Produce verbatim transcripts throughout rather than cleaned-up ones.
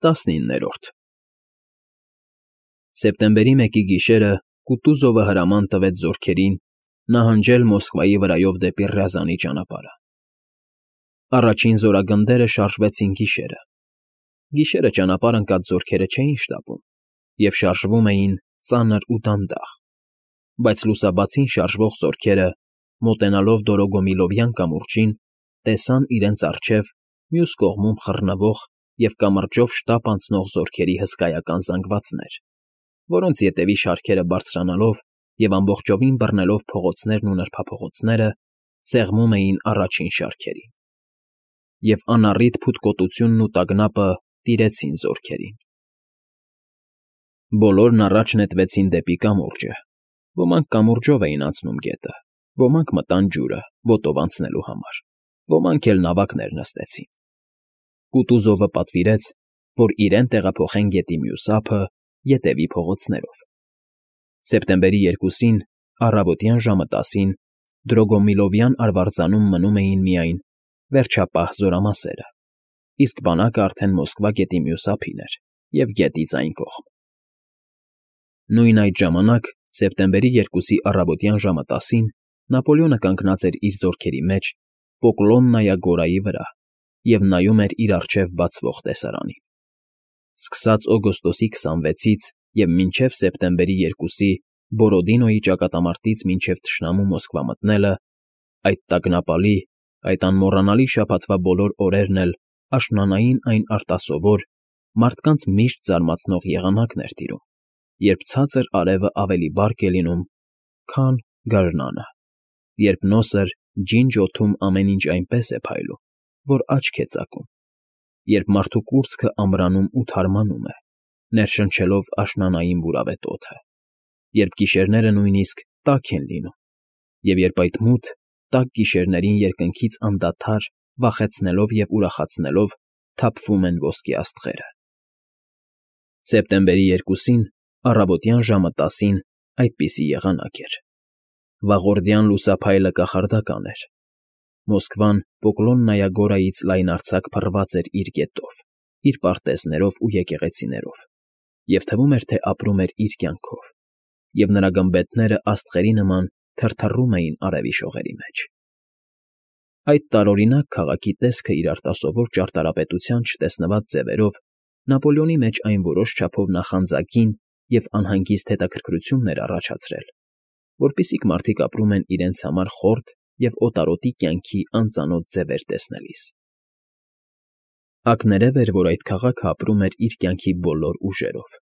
Տասնիններորդ Սեպտեմբերի մեկի գիշերը Կուտուզովը հրաման տվեց զորքերին նահանջել Մոսկվայի վրայով դեպի Ռյազանի ճանապարհը։ Առաջին զորագնդերը շարժվեցին գիշերը։ Գիշերը ճանապարհ ընկած զորքերը չէին շտապում և շարժվում էին ծանր ու դանդաղ, բայց լուսաբացին շարժվող զորքերը, մոտենալով Դորոգոմիլովյան կամուրջին, տեսան իրենց առջև մյուս կողմում խռնվող և կամրջով շտապ անցնող զորքերի հսկայական զանգվածներ, որոնց ետևի շարքերը բարձրանալով և ամբողջովին բռնելով փողոցներն ու նրբափողոցները, սեղմում էին առաջին շարքերին։ Եվ անառիթ փութկոտությունն ու տագնապը տիրեցին զորքերին։ Բոլորն առաջ նետվեցին դեպի կամուրջը, ոմանք կամուրջով էին անցնում գետը, ոմանք մտան ջուրը ոտով անցնելու համար, ոմանք էլ նավակներ նստեցին։ Կուտուզովը պատվիրեց, որ իրեն տեղափոխեն գետի մյուս ափը ետևի փողոցներով։ Սեպտեմբերի երկուսին, առավոտյան ժամը տասին, Դրոգոմիլովյան արվարձանում մնում էին միայն վերջապահ զորամասերը, իսկ բանակը արդեն Մոսկվա գետի մյուս ափին էր և գետից այն կողմ։ Նույն այդ ժամանակ, սեպտեմբերի երկուսի առավոտյան ժամը տասին, Նապոլեոնը կանգնած էր իր զորքերի մեջ Պոկլոննայա գորայի վրա և նայում էր իր առջև բացվող տեսարանին։ Սկսած օգոստոսի քսանվեցից և մինչև սեպտեմբերի երկուսի Բորոդինոյի ճակատամարտից մինչև թշնամու Մոսկվա մտնելը, այդ տագնապալի, այդ անմոռանալի շաբաթվա բոլոր օրերն էլ աշնանային այն արտասովոր, մարդկանց միշտ զարմացնող եղանակն էր տիրում, երբ ցածր արևը ավելի բարդ է լինում, քան գարնանը, երբ նոսր, ջինջ օդում ամեն ինչ այնպես է փայլում, որ աչք է ծակում, երբ մարդու կուրծքը ամրանում ու թարմանում է, ներշնչելով աշնանային բուրավետ օդը, երբ գիշերները նույնիսկ տաք են լինում, և երբ այդ մութ, տաք գիշերներին երկնքից անդադար, վախեցնելով և ուրախացնելով թափվում են ոսկե աստղերը։ Սեպտեմբերի երկուսին, առավոտյան ժամը տասին այդպիսի եղանակ էր։ Վաղորդյան լուսափայլը կախարդական էր։ Մոսկվան Պոկլոննայա գորայից լայնարձակ փռված էր իր գետով, իր պարտեզներով ու եկեղեցիներով, և թվում էր, թե ապրում էր իր կյանքով, և նրա գմբեթները աստղերի նման թրթռում էին արևի շողերի մեջ։ Այդ տարօրինակ քաղաքի տեսքը իր արտասովոր ճարտարապետության չտեսնված ձևերով Նապոլեոնի մեջ այն որոշ չափով նախանձագին և անհանգիստ հետաքրքրություն էր առաջացրել, որպիսիք մարդիկ ապրում են իրենց համար խորթ և օտարոտի կյանքի անծանոթ ձևեր տեսնելիս։ Ակներև էր, որ այդ քաղաքը ապրում էր իր կյանքի բոլոր ուժերով։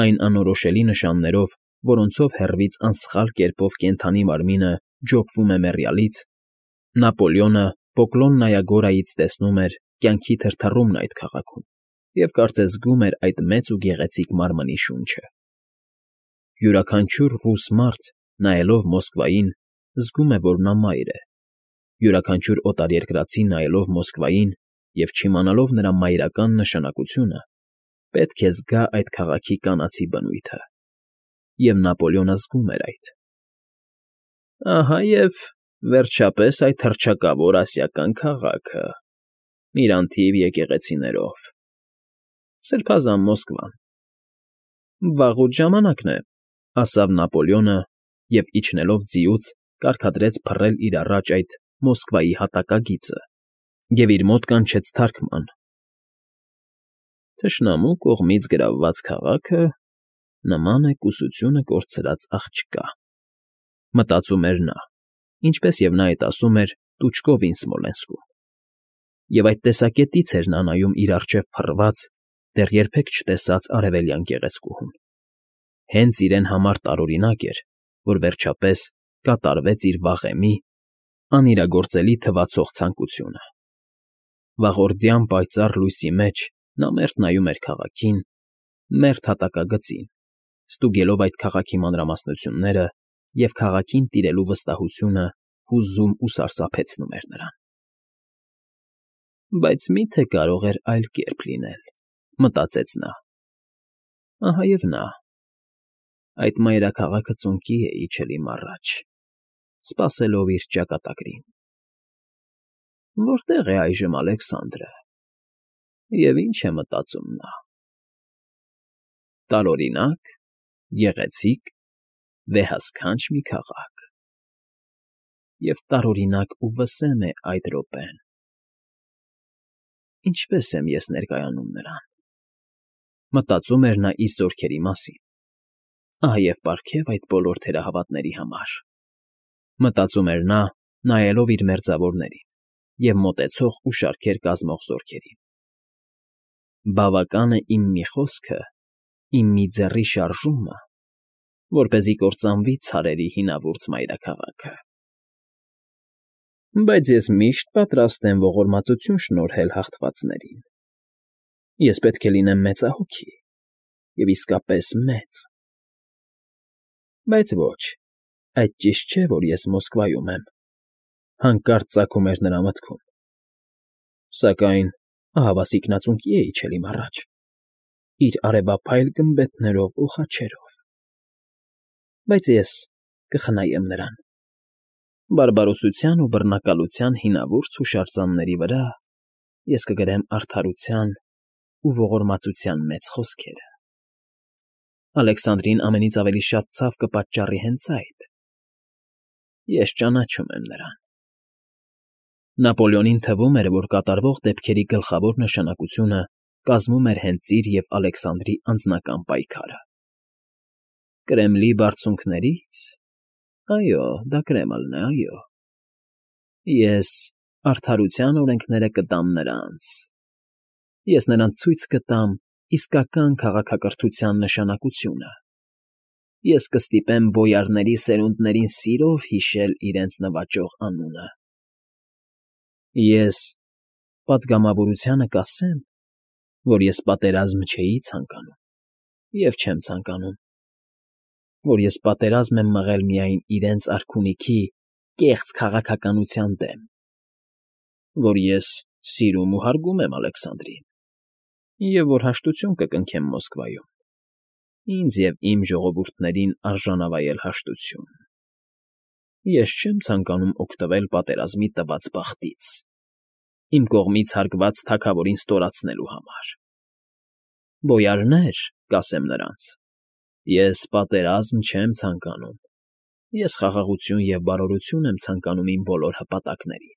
Այն անորոշելի նշաններով, որոնցով հեռվից անսխալ կերպով կենդանի մարմինը ջոկվում է մեռյալից, Նապոլեոնը Պոկլոննայա գորայից տեսնում էր կյանքի թրթռումն այդ քաղաքում և կարծես զգում էր այդ մեծ ու գեղեցիկ մարմնի շունչը։ Յուրաքանչյուր ռուս մարդ, նայելով Մոսկվային, զգում է, որ նա մայր է, յուրաքանչյուր օտարերկրացի նայելով Մոսկվային և չիմանալով նրա մայրական նշանակությունը, պետք է զգա այդ քաղաքի կանացի բնույթը։ Եվ Նապոլեոնը զգում էր այդ։ Ահա և, վերջապես, այդ հռչակավոր ասիական քաղաքը, իր անթիվ եկեղեցիներով, սրբազան Մոսկվան։ Վաղուց ժամանակն է, ասավ Նապոլեոնը և, իջնելով ձիուց, կարգադրեց փռել իր առաջ այդ Մոսկվայի հատակագիծը և իր մոտ կանչեց թարգման. Թշնամու կողմից գրավված քաղաքը նման է կուսությունը կորցրած աղջկա, մտածում էր նա, ինչպես և նա էդ ասում էր Տուչկովին Սմոլենսկում, և այդ տեսակետից էր նա նայում իր առջև փռված, դեռ երբեք չտեսած արևելյան գեղեցկուհուն։ Հենց իրեն համար տարօրինակ էր, որ վերջապես կատարվեց իր վաղեմի, անիրագործելի թվացող ցանկությունը։ Վաղորդյան պայծառ լույսի մեջ նա մերթ նայում էր քաղաքին, մերթ հատակագծին, ստուգելով այդ քաղաքի մանրամասնությունները, և քաղաքին տիրելու վստահությունը հուզում ու սարսափեցնում էր նրան։ Բայց մի՞թե կարող էր այլ կերպ լինել, մտածեց նա։ Ահա և նա, այդ մայրաքաղաքը ծունկի է իջել իմ առաջ, սպասելով իր ճակատագրին։ Որտե՞ղ է այժմ Ալեքսանդրը։ Եվ ինչ է մտածում նա. տարօրինակ, գեղեցիկ, վեհասքանչ մի քաղաք, և տարօրինակ ու վսեմ է այդ րոպեն. ինչպե՞ս եմ ես ներկայանում նրան, մտածում էր նա իր զորքերի մասին, ահ և պարգև այդ բոլոր թերահավատների համար, մտածում էր նա, նայելով իր մերձավորներին և մոտեցող ու շարքեր կազմող զորքերին. բավական է իմ մի խոսքը, իմ մի ձեռի շարժումը, որպեսզի կործանվի ցարերի հինավուրց մայրաքաղաքը, բայց ես միշտ պատրաստ եմ ողորմածություն շնորհել հաղթվածներին, ես պետք է լինեմ մեծահոգի և իսկապես մեծ, բայց ոչ, այդ ճիշտ չէ, որ ես Մոսկվայում եմ, հանկարծ ծագում էր նրա մտքում, սակայն ահավասիկ֊նածունկի է իջել իմ առաջ, իր արևափայլ գմբեթներով ու խաչերով, բայց ես կխնայեմ նրան, բարբարոսության ու բռնակալության հինավուրց հուշարձանների վրա ես կգրեմ արդարության ու ողորմածության մեծ խոսքերը, Ալեքսանդրին ամենից ավելի շատ ցավ կպատճառի հենց այդ, ես ճանաչում եմ նրան, Նապոլեոնին թվում էր, որ կատարվող դեպքերի գլխավոր նշանակությունը կազմում էր հենց իր և Ալեքսանդրի անձնական պայքարը, Կրեմլի բարձունքների՞ց, այո, դա Կրեմլն է, այո, ես արդարության օրենքները կտամ նրանց, ես նրան ցույց կտամ իսկական քաղաքակրթության նշանակությունը, ես կստիպեմ բոյարների սերունդներին սիրով հիշել իրենց նվաճող անունը, ես պատգամավորությանը կասեմ, որ ես պատերազմ չէի ցանկանում և չեմ ցանկանում, որ ես պատերազմ եմ մղել միայն իրենց արքունիքի կեղծ քաղաքականության դեմ, որ ես սիրում ու հարգում եմ Ալեքսանդրին և որ հաշտություն կկնքեմ Մոսկվայում, ինձ և իմ ժողովուրդներին արժանավայել հաշտություն, ես չեմ ցանկանում օգտվել պատերազմի տված բախտից, իմ կողմից հարկված թագավորին ստորացնելու համար, բոյարնե՛ր, կասեմ նրանց, ես պատերազմ չեմ ցանկանում, ես խաղաղություն և բարօրություն եմ ցանկանում իմ բոլոր հպատակներին,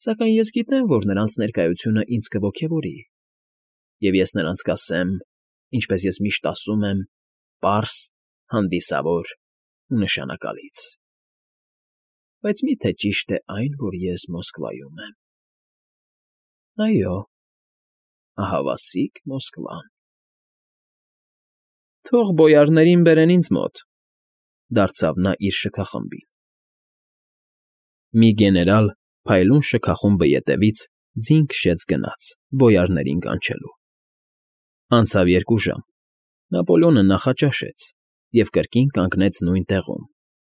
սակայն ես գիտեմ, որ նրանց ներկայությունը ինձ կոգևորի, և ես նրանց կասեմ, ինչպես ես միշտ ասում եմ, պարզ, հանդիսավոր ու նշանակալից, բայց մի՞թե ճիշտ է այն, որ ես Մոսկվայում եմ, այո, ահավասիկ Մոսկվան, թող բոյարներին բերեն ինձ մոտ, դարձավ նա իր շքախմբին, մի գեներալ փայլուն շքախումբը ետևից ձին քշեց գնաց բոյարներին կանչելու, անցավ երկու ժամ, Նապոլեոնը նախաճաշեց և կրկին կանգնեց նույն տեղում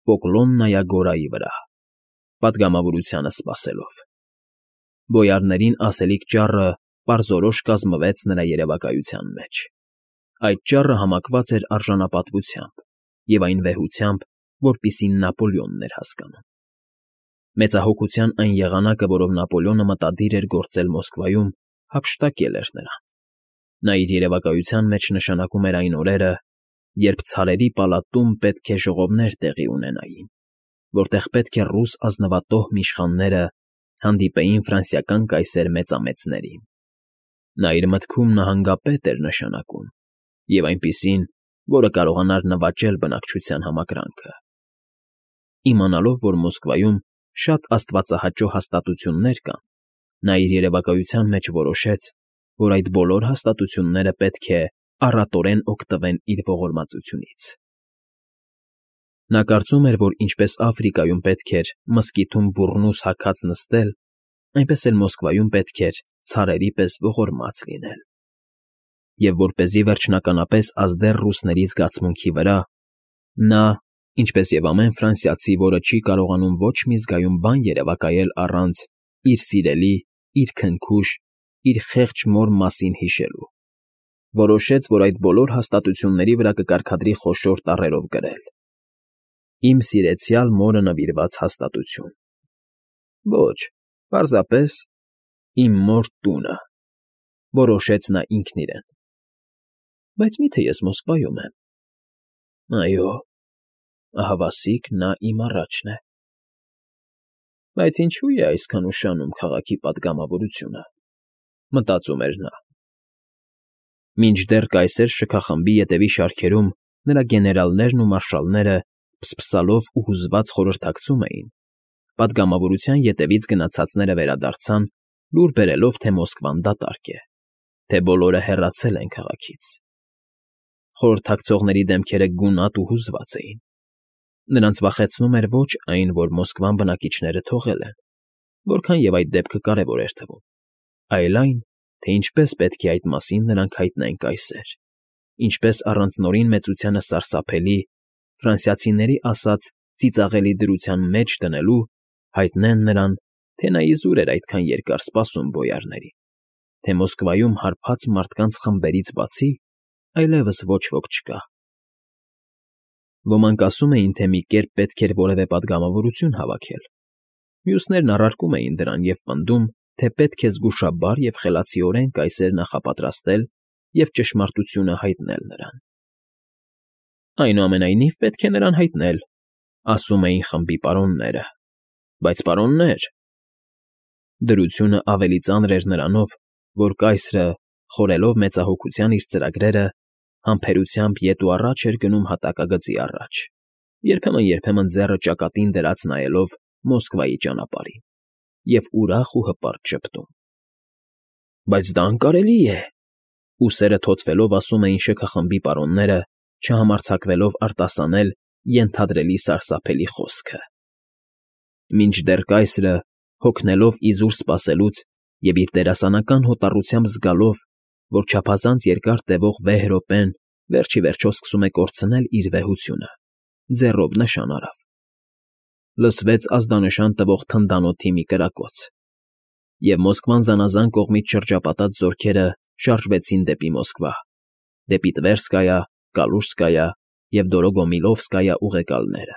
Պոկլոննայա գորայի վրա, պատգամավորությանը սպասելով, բոյարներին ասելիք ճառը պարզորոշ կազմվեց նրա երևակայության մեջ, այդ ճառը համակված էր արժանապատվությամբ և այն վեհությամբ, որպիսին Նապոլեոնն էր հասկանում, մեծահոգության այն եղանակը, որով Նապոլեոնը մտադիր էր գործել Մոսկվայում, հափշտակել էր նրան, նա իր երևակայության մեջ նշանակում էր այն օրերը, երբ ցարերի պալատում պետք է ժողովներ տեղի ունենային, որտեղ պետք է ռուս ազնվատոհմի իշխանները հանդիպեին ֆրանսիական կայսեր մեծամեծներին, նա իր մտքում նահանգապետ էր նշանակում և այնպիսին, որը կարողանար նվաճել բնակչության համակրանքը, իմանալով, որ Մոսկվայում շատ աստվածահաճո հաստատություններ կան, նա իր երևակայության մեջ որոշեց, որ այդ բոլոր հաստատությունները պետք է առատորեն օգտվեն իր ողորմածությունից, նա կարծում էր, որ ինչպես Աֆրիկայում պետք էր մզկիթում բուռնուս հագած նստել, այնպես էլ Մոսկվայում պետք էր ցարերի պես ողորմած լինել, և որպեսզի վերջնականապես ազդեր ռուսների զգացմունքի վրա, նա, ինչպես և ամեն ֆրանսիացի, որը չի կարողանում ոչ մի զգայուն բան երևակայել առանց իր սիրելի, իր քնքուշ, իր խեղճ մոր մասին հիշելու, որոշեց, որ այդ բոլոր հաստատությունների վրա կկարգադրի խոշոր տառերով գրել. «Իմ սիրեցյալ մորը նվիրված հաստատություն», ոչ, պարզապես «Իմ մոր տունը», Որոշեց նա ինքն իրեն։ Բայց մի՞թե ես Մոսկվայում եմ։ Այո, ահավասիկ նա իմ առաջն է։ Բայց ինչո՞ւ է այսքան ուշանում քաղաքի պատգամավորությունը, մտածում էր նա։ Մինչդեռ կայսեր շքախմբի ետևի շարքերում նրա գեներալներն ու մարշալները փսփսալով ու հուզված խորհրդակցում էին, պատգամավորության ետևից գնացածները վերադարձան, լուր բերելով, թե Մոսկվան դատարկ է, թե բոլորը հեռացել են քաղաքից։ Խորհրդակցողների դեմքերը գունատ ու հուզված էին։ Նրանց վախեցնում էր ոչ այն, որ Մոսկվան բնակիչները թողել են, որքան և այդ դեպքը կարևոր էր թվում, այլ այն, թե ինչպես պետք է այդ մասին նրանք հայտնեն կայսեր, ինչպես առանց Նորին մեծությանը սարսափելի, ֆրանսիացիների ասած ծիծաղելի դրության մեջ դնելու, հայտնեն նրան, թե նա իզուր էր այդքան երկար սպասում բոյարներին, թե Մոսկվայում հարբած մարդկանց խմբերից բացի այլևս ոչ ոք չկա։ Ոմանք ասում էին, թե մի կերպ պետք էր որևէ պատգամավորություն հավաքել, մյուսներն առարկում էին դրան և պնդում, թե պետք է զգուշաբար և խելացիորեն կայսեր նախապատրաստել և ճշմարտությունը հայտնել նրան։ Այնուամենայնիվ պետք է նրան հայտնել, ասում էին խմբի պարոնները, բայց պարոննե՛ր… Դրությունը ավելի ծանր էր նրանով, որ կայսրը, խորելով մեծահոգության իր ծրագրերը, համբերությամբ ետ ու առաջ էր գնում հատակագծի առաջ, երբեմն֊երբեմն ձեռը ճակատին դրած նայելով Մոսկվայի ճանապարհին և ուրախ ու հպարտ ժպտում։ Բայց դա անկարելի է, ուսերը թոթվելով ասում էին շքախմբի պարոնները, չհամարձակվելով արտասանել ենթադրելի սարսափելի խոսքը։ Մինչդեռ կայսրը, հոգնելով իզուր սպասելուց և իր դերասանական հոտառությամբ զգալով, որ չափազանց երկար տևող վեհ րոպեն վերջ ի վերջո սկսում է կորցնել իր վեհությունը, ձեռով նշան արավ։ Լսվեց ազդանշան տվող թնդանոթի մի կրակոց, և Մոսկվան զանազան կողմից շրջապատած զորքերը շարժվեցին դեպի Մոսկվա, դեպի Տվերսկայա, Կալուժսկայա և Դորոգոմիլովսկայա ուղեկալները։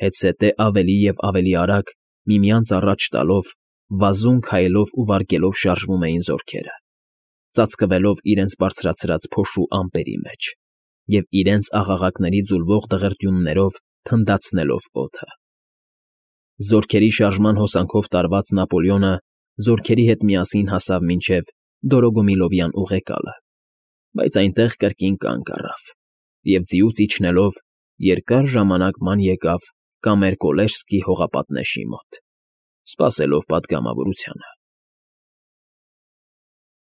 Հետզհետե ավելի և ավելի արագ, միմյանց առաջ տալով, վազում քայլով ու վարգելով շարժվում էին զորքերը, ծածկվելով իրենց բարձրացրած փոշու ամպերի մեջ և իրենց աղաղակների ձուլվող դղրդյուններով թնդացնելով օդը։ Զորքերի շարժման հոսանքով տարված Նապոլեոնը զորքերի հետ միասին հասավ մինչև Դորոգոմիլովյան ուղեկալը, բայց այնտեղ կրկին կանգ առավ և ձիուց իջնելով երկար ժամանակ ման եկավ Կամեր֊Կոլեժսկի հողապատնեշի մոտ, սպասելով պատգամավորությանը։